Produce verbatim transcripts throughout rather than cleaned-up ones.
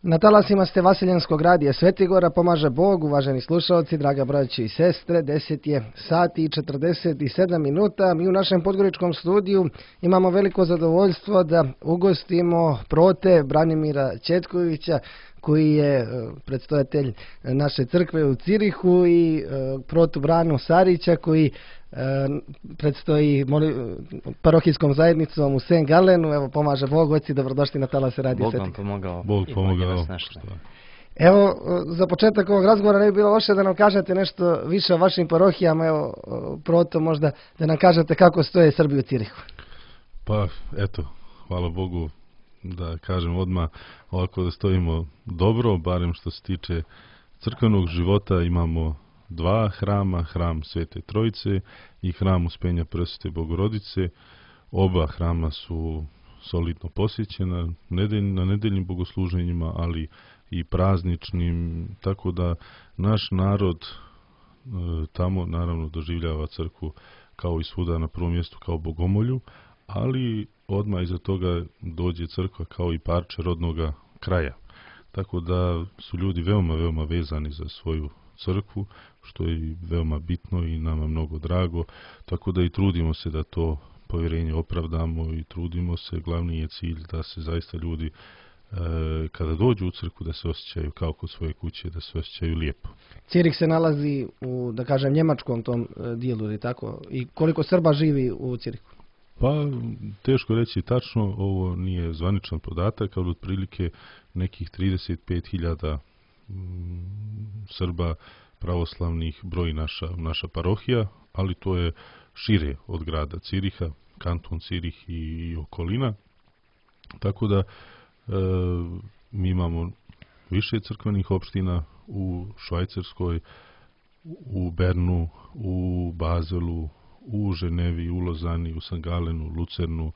Na talasima ste Vaseljenskog radija Svetigora, pomaže Bog, uvaženi slušalci, draga braći i sestre, deset je sati i četrdeset sedam minuta. Mi u našem podgoričkom studiju imamo veliko zadovoljstvo da ugostimo prote Branimira Četkovića, koji je predstojatelj naše crkve u Cirihu, i protu Branu Sarića, koji predstoji parohijskom zajednicom u Saint Galenu. Evo, pomaže Bog, oci, dobrodošli na talase radija Svetigora. Bog vam pomogao. Bog pomogao. Evo, za početak ovog razgovora ne bi bilo loše da nam kažete nešto više o vašim parohijama. Evo, proto možda da nam kažete kako stoje Srbi u Cirihu. Pa, eto, hvala Bogu, da kažem odmah ovako da stojimo dobro, barem što se tiče crkvenog života. Imamo dva hrama, hram Svete Trojice i hram Uspenja Presvete Bogorodice. Oba hrama su solidno posjećena na nedeljnim bogosluženjima, ali i prazničnim, tako da naš narod e, tamo naravno doživljava crkvu kao i svuda na prvom mjestu kao bogomolju, ali odmah iza toga dođe crkva kao i parče rodnoga kraja. Tako da su ljudi veoma, veoma vezani za svoju crkvu, što je veoma bitno i nama mnogo drago, tako da i trudimo se da to povjerenje opravdamo i trudimo se, glavni je cilj da se zaista ljudi e, kada dođu u crkvu da se osjećaju kao kod svoje kuće, da se osjećaju lijepo. Cirih se nalazi u, da kažem, njemačkom tom dijelu, ili tako? I koliko Srba živi u Cirihu? Pa, teško reći tačno, ovo nije zvaničan podatak, ali otprilike nekih trideset pet hiljada Srba pravoslavnih broji naša, naša parohija, ali to je šire od grada Ciriha, kanton Cirih i, i okolina. Tako da e, mi imamo više crkvenih opština u Švajcarskoj, u Bernu, u Bazelu, u Ženevi, u Lozani, u Saint Galenu, Lucernu,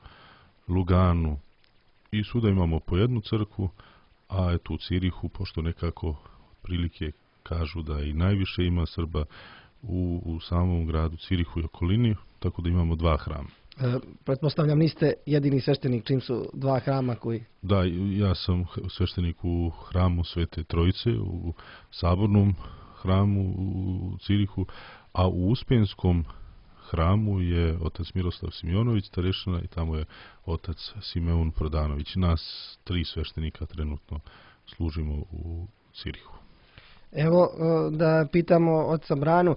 Luganu, i svuda imamo po jednu crkvu, a eto u Cirihu, pošto nekako prilike kažu da i najviše ima Srba u, u samom gradu Cirihu i okolini, tako da imamo dva hrama. E, pretpostavljam niste jedini sveštenik čim su dva hrama koji... Da, ja sam sveštenik u hramu Svete Trojice, u sabornom hramu u Cirihu, a u Uspenskom hramu je otac Miroslav Simjonović starešina i tamo je otac Simeon Prodanović. Nas tri sveštenika trenutno služimo u Cirihu. Evo, da pitamo oca Branu,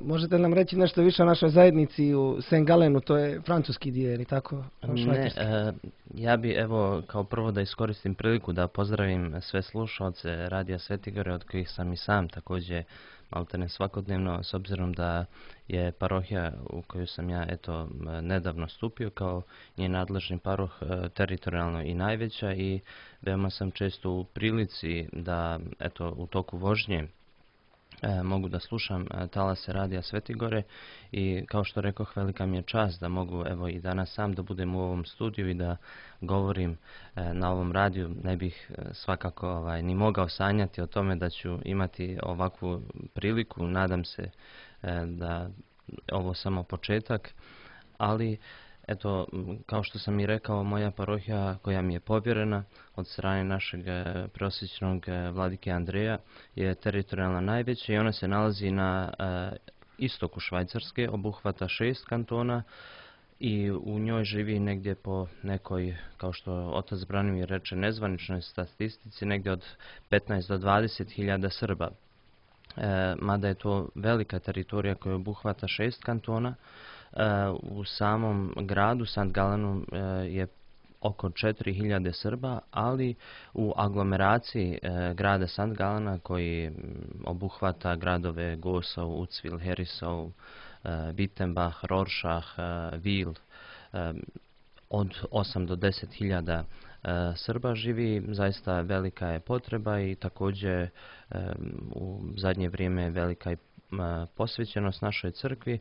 možete li nam reći nešto više o našoj zajednici u Saint Galenu, to je francuski dio, ili tako? Ne, e, ja bi evo kao prvo da iskoristim priliku da pozdravim sve slušalce Radija Svetigore, od kojih sam i sam također maltene svakodnevno, s obzirom da je parohija u koju sam ja eto nedavno stupio kao njen nadležni paroh teritorijalno i najveća, i veoma sam često u prilici da eto u toku vožnje E, mogu da slušam e, talase Radija Svetigore, i kao što rekoh, velika mi je čast da mogu evo i danas sam da budem u ovom studiju i da govorim e, na ovom radiju. Ne bih e, svakako ovaj, ni mogao sanjati o tome da ću imati ovakvu priliku. Nadam se e, da ovo samo početak, ali eto, kao što sam i rekao, moja parohija koja mi je povjerena od strane našeg preosvećenog vladike Andreja je teritorijalna najveća i ona se nalazi na e, istoku Švajcarske, obuhvata šest kantona i u njoj živi negdje po nekoj, kao što otac Branimir reče, nezvaničnoj statistici, negdje od petnaest do dvadeset hiljada Srba. E, mada je to velika teritorija koja obuhvata šest kantona, u samom gradu Saint Galenu je oko četiri hiljade Srba, ali u aglomeraciji grada Saint Galena, koji obuhvata gradove Gosau, Ucvil, Herisau, Wittenbach, Rorschach, Wil, od osam do deset hiljada Srba živi. Zaista velika je potreba i također u zadnje vrijeme velika je posvećenost našoj crkvi,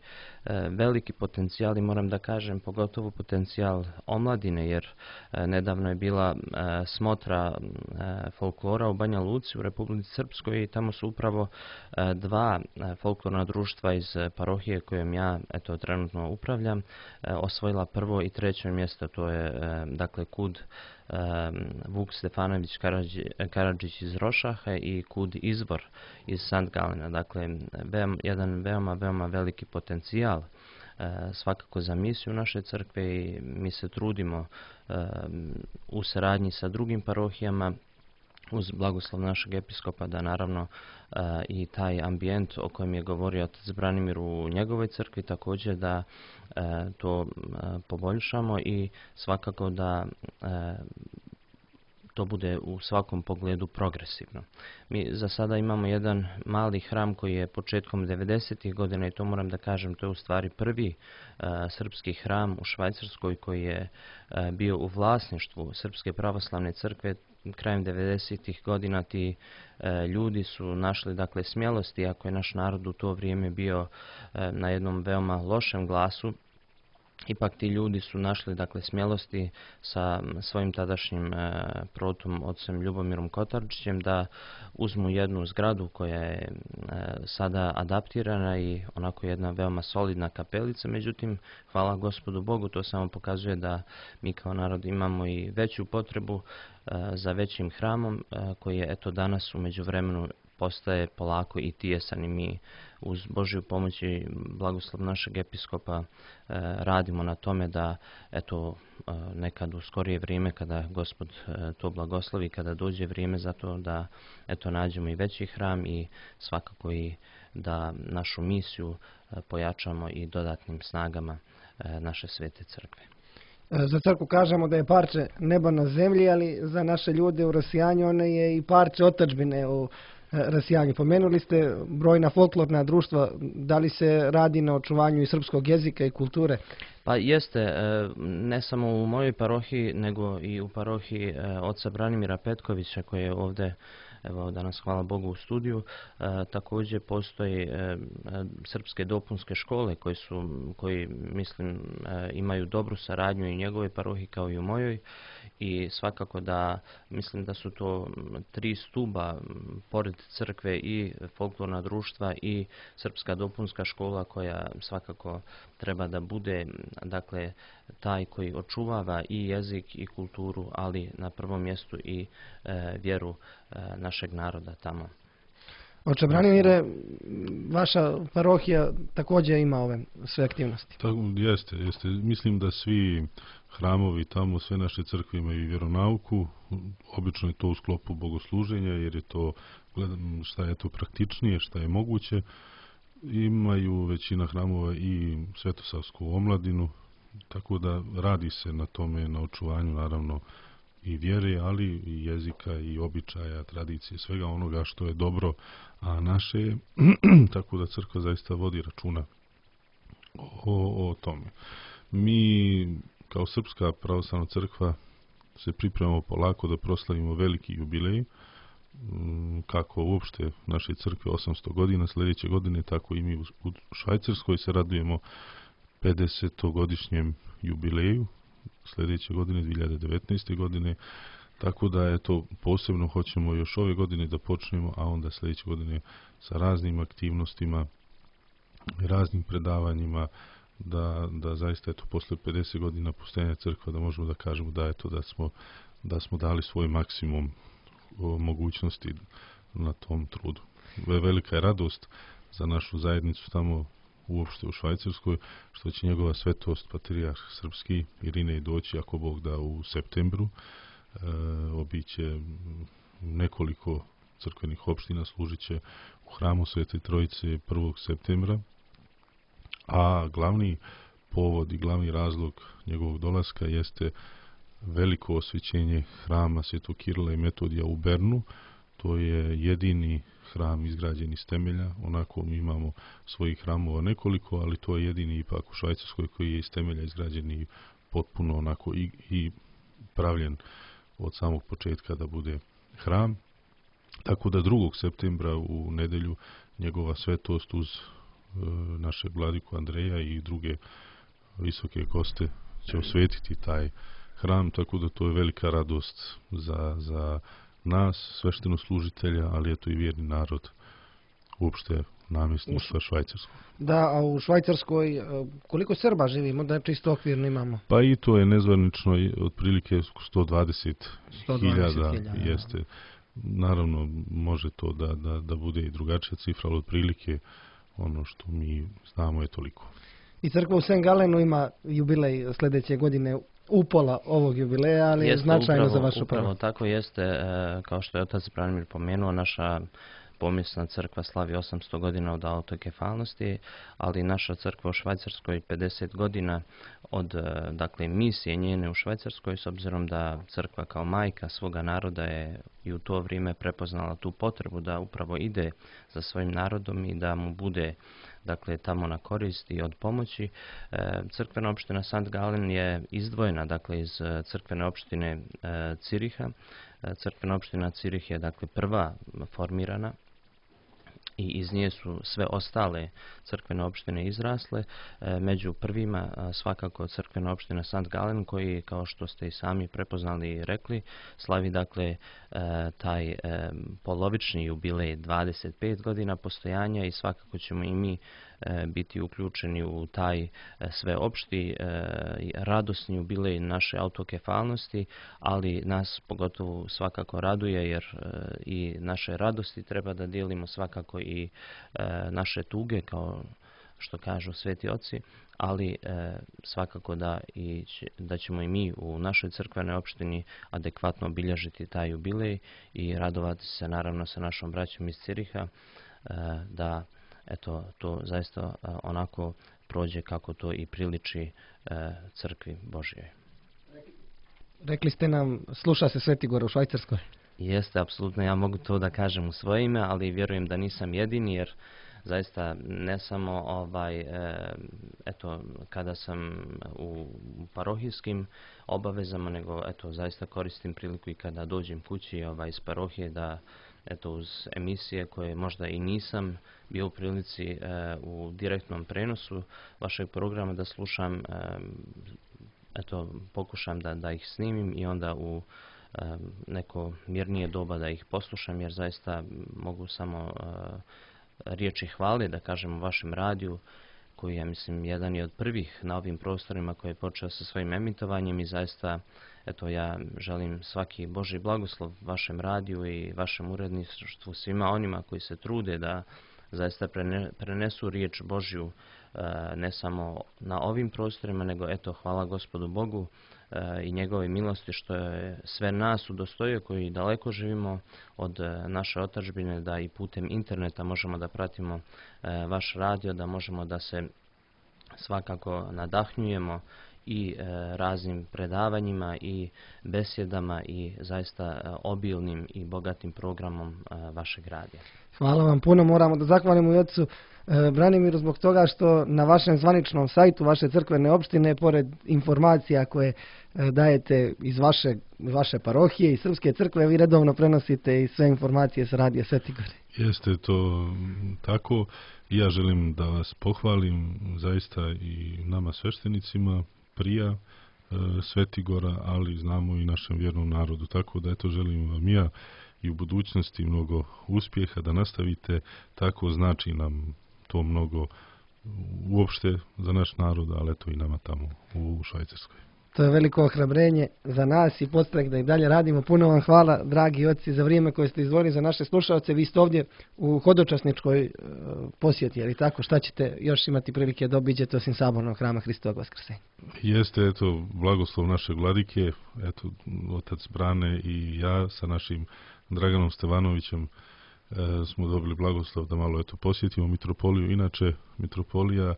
veliki potencijal, i moram da kažem pogotovo potencijal omladine, jer nedavno je bila smotra folklora u Banja Luci u Republici Srpskoj i tamo su upravo dva folklorna društva iz parohije kojom ja eto trenutno upravljam osvojila prvo i treće mjesto. To je dakle Kud Vuk Stefanović Karadžić iz Rošahe i Kud Izvor iz Sant Galena. Dakle, jedan veoma, veoma veliki potencijal svakako za misiju naše crkve i mi se trudimo u saradnji sa drugim parohijama uz blagoslov našeg episkopa da naravno i taj ambijent o kojem je govorio otac Branimir u njegovoj crkvi također da to poboljšamo i svakako da to bude u svakom pogledu progresivno. Mi za sada imamo jedan mali hram koji je početkom devedesetih godina i to moram da kažem, to je u stvari prvi uh, srpski hram u Švajcarskoj koji je uh, bio u vlasništvu Srpske pravoslavne crkve. Krajem devedesetih godina ti e, ljudi su našli dakle smjelosti, ako je naš narod u to vrijeme bio e, na jednom veoma lošem glasu, ipak ti ljudi su našli dakle smjelosti sa svojim tadašnjim e, protom ocem Ljubomirom Kotarčićem da uzmu jednu zgradu koja je e, sada adaptirana i onako jedna veoma solidna kapelica. Međutim, hvala Gospodu Bogu, to samo pokazuje da mi kao narod imamo i veću potrebu e, za većim hramom e, koji je eto danas u međuvremenu postaje polako i tijesan i mi uz Božju pomoć i blagoslov našeg episkopa e, radimo na tome da eto e, nekad u skorije vrijeme kada Gospod e, to blagoslovi, kada dođe vrijeme za to da eto nađemo i veći hram i svakako i da našu misiju e, pojačamo i dodatnim snagama e, naše svete crkve. Za crkvu kažemo da je parče neba na zemlji, ali za naše ljude u rasijanju one je i parče otadžbine u rasijanju. Pomenuli ste brojna folklorna društva, da li se radi na očuvanju i srpskog jezika i kulture? Pa jeste, ne samo u mojoj parohiji, nego i u parohiji oca Branimira Petkovića koji je ovdje, evo danas hvala Bogu u studiju. E, također postoji e, srpske dopunske škole koji su, koji mislim e, imaju dobru saradnju i u njegovoj parohiji kao i u mojoj i svakako da mislim da su to tri stuba pored crkve i folklorna društva i srpska dopunska škola koja svakako treba da bude dakle taj koji očuvava i jezik i kulturu, ali na prvom mjestu i e, vjeru e, našeg naroda tamo. Oče Branimire, vaša parohija također ima ove sve aktivnosti. Tako, jeste, jeste. Mislim da svi hramovi tamo, sve naše crkve imaju vjeronauku. Obično je to u sklopu bogosluženja, jer je to, gledam šta je to praktičnije, šta je moguće. Imaju većina hramova i svetosavsku omladinu, tako da radi se na tome, na očuvanju naravno i vjere, ali i jezika i običaja, tradicije, svega onoga što je dobro, a naše je, tako da crkva zaista vodi računa o, o tome. Mi kao Srpska pravoslavna crkva se pripremamo polako da proslavimo veliki jubilej, kako uopšte naše crkve osamsto godina sljedeće godine, tako i mi u Švajcarskoj se radujemo pedesetogodišnjem jubileju sljedeće godine, dvije hiljade devetnaeste. godine, tako da eto posebno hoćemo još ove godine da počnemo, a onda sljedeće godine sa raznim aktivnostima, raznim predavanjima, da, da zaista eto posle pedeset godina postojanja crkva da možemo da kažemo da eto da smo, da smo dali svoj maksimum mogućnosti na tom trudu. Velika je radost za našu zajednicu tamo uopšte u Švajcarskoj, što će njegova svetost patrijarh srpski Irinej doći, ako Bog da, u septembru. E, obiće nekoliko crkvenih opština, služit će u hramu Svete Trojice prvog septembra, a glavni povod i glavni razlog njegovog dolaska jeste veliko osvećenje hrama Svetog Kirila i Metodija u Bernu. To je jedini hram izgrađen iz temelja, onako mi imamo svojih hramova nekoliko, ali to je jedini ipak u Švajcarskoj koji je iz temelja izgrađen i potpuno onako i, i pravljen od samog početka da bude hram. Tako da drugog septembra u nedelju njegova svetost uz e, našeg vladiku Andreja i druge visoke goste će osvetiti taj hram, tako da to je velika radost za, za nas, svešteno služitelja, ali eto i vjerni narod uopšte namjesništva švajcarskog. Da, a u Švajcarskoj e, koliko Srba živi? Možda čisto okvirno imamo. Pa i to je nezvanično i otprilike sto dvadeset hiljada hiljada. jeste. Naravno, može to da, da, da bude i drugačija cifra, ali otprilike ono što mi znamo je toliko. I crkva u Saint Galenu ima jubilej sljedeće godine upola ovog jubileja, ali je značajno upravo, za vašu upravo pravo. tako jeste, e, kao što je otac Branimir pomenuo, naša pomjesna crkva slavi osamsto godina od autokefalnosti, ali naša crkva u Švajcarskoj pedeset godina od dakle, misije njene u Švajcarskoj, s obzirom da crkva kao majka svoga naroda je i u to vrijeme prepoznala tu potrebu da upravo ide za svojim narodom i da mu bude dakle tamo na korist i od pomoći. E, crkvena opština Sankt Gallen je izdvojena dakle iz crkvene opštine e, Ciriha. E, crkvena opština Cirih je dakle prva formirana i iz nje su sve ostale crkvene opštine izrasle. E, među prvima a, svakako crkvena opština Sankt Gallen, koji, kao što ste i sami prepoznali i rekli, slavi dakle e, taj e, polovični jubilej dvadeset pet godina postojanja i svakako ćemo i mi e, biti uključeni u taj e, sve opšti e, radosni jubilej naše autokefalnosti, ali nas pogotovo svakako raduje jer e, i naše radosti treba da dijelimo svakako i e, naše tuge, kao što kažu sveti oci, ali e, svakako da, i, da ćemo i mi u našoj crkvenoj opštini adekvatno obilježiti taj jubilej i radovati se naravno sa našom braćom iz Ciriha e, da eto, to zaista e, onako prođe kako to i priliči e, crkvi Božjoj. Rekli ste nam, sluša se Sveti Gora u Švajcarskoj. Jeste, apsolutno, ja mogu to da kažem u svoje ime, ali vjerujem da nisam jedini, jer zaista ne samo ovaj, e, eto, kada sam u parohijskim obavezama, nego eto, zaista koristim priliku i kada dođem kući ovaj, iz parohije da eto, uz emisije koje možda i nisam bio u prilici e, u direktnom prenosu vašeg programa da slušam, e, eto, pokušam da, da ih snimim i onda u e, neko mirnije doba da ih poslušam, jer zaista mogu samo e, riječi hvale, da kažem, u vašem radiju, koji je, mislim, jedan je od prvih na ovim prostorima koji je počeo sa svojim emitovanjem i zaista, eto, ja želim svaki Božji blagoslov vašem radiju i vašem uredništvu, svima onima koji se trude da zaista prenesu riječ Božju ne samo na ovim prostorima, nego eto, hvala Gospodu Bogu i njegove milosti što je sve nas udostojio koji daleko živimo od naše otadžbine, da i putem interneta možemo da pratimo vaš radio, da možemo da se svakako nadahnjujemo i raznim predavanjima i besjedama i zaista obilnim i bogatim programom vašeg radija. Hvala vam puno, moramo da zahvalimo i ocu Branimiru zbog toga što na vašem zvaničnom sajtu vaše crkvene opštine, pored informacija koje dajete iz vaše, vaše parohije i srpske crkve, vi redovno prenosite i sve informacije sa radija Sveti Gore. Jeste to tako. Ja želim da vas pohvalim zaista i nama sveštenicima prija e, Sveti Gora, ali znamo i našem vjernom narodu. Tako da eto, želim vam ja i u budućnosti mnogo uspjeha, da nastavite tako, znači nam to mnogo uopšte za naš narod, ali eto i nama tamo u Švajcarskoj. To je veliko ohrabrenje za nas i podstrek da i dalje radimo. Puno vam hvala, dragi oci, za vrijeme koje ste izdvojili za naše slušalce. Vi ste ovdje u hodočasničkoj e, posjeti, ali tako, šta ćete još imati prilike da obiđete osim sabornog hrama Hristovog Vaskrsenja? Jeste, eto, blagoslov naše vladike, eto, otac Brane i ja sa našim Draganom Stevanovićem e, smo dobili blagoslov da malo eto posjetimo mitropoliju. Inače, mitropolija e,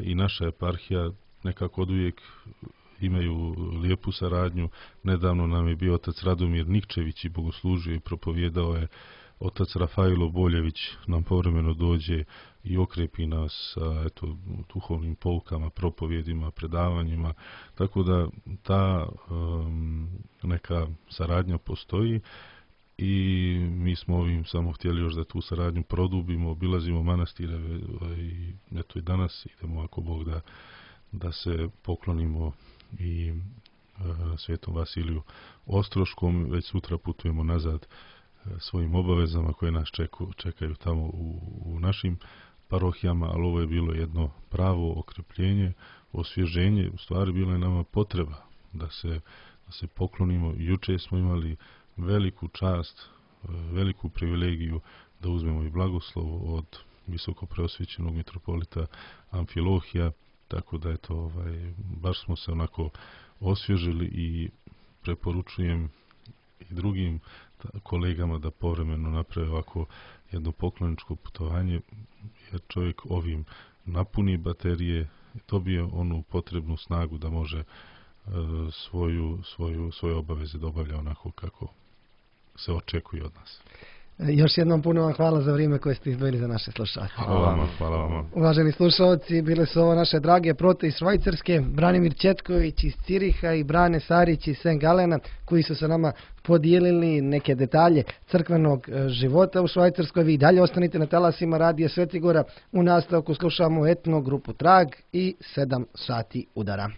i naša eparhija nekako oduvijek imaju lijepu saradnju. Nedavno nam je bio otac Radomir Nikčević i bogoslužio i propovjedao je. Otac Rafailo Boljević nam povremeno dođe i okrepi nas sa eto, duhovnim poukama, propovjedima, predavanjima. Tako da ta um, neka saradnja postoji i mi smo ovim samo htjeli još da tu saradnju produbimo, obilazimo manastire i eto i danas idemo ako Bog da, da se poklonimo i uh, Svetom Vasiliju Ostroškom. Već sutra putujemo nazad svojim obavezama koje nas čeku, čekaju tamo u, u našim parohijama, ali ovo je bilo jedno pravo okrepljenje, osvježenje, u stvari bilo je nama potreba da se, da se poklonimo. Juče smo imali veliku čast, veliku privilegiju da uzmemo i blagoslov od visoko preosvećenog mitropolita Amfilohija, tako da je to, ovaj, baš smo se onako osvježili i preporučujem i drugim kolegama da povremeno naprave ovako jedno pokloničko putovanje, jer čovjek ovim napuni baterije, dobije onu potrebnu snagu da može e, svoju, svoju, svoje obaveze da obavlja onako kako se očekuje od nas. Još jednom puno vam hvala za vrijeme koje ste izdvojili za naše slušalce. Hvala vam, hvala vam. Uvaženi slušalci, bile su ovo naše drage prote iz Švajcarske, Branimir Četković iz Ciriha i Brane Sarić iz Saint Galena, koji su se nama podijelili neke detalje crkvenog života u Švajcarskoj. Vi dalje ostanite na talasima Radija Svetigora. U nastavku slušamo etno grupu Trag i sedam sati udara.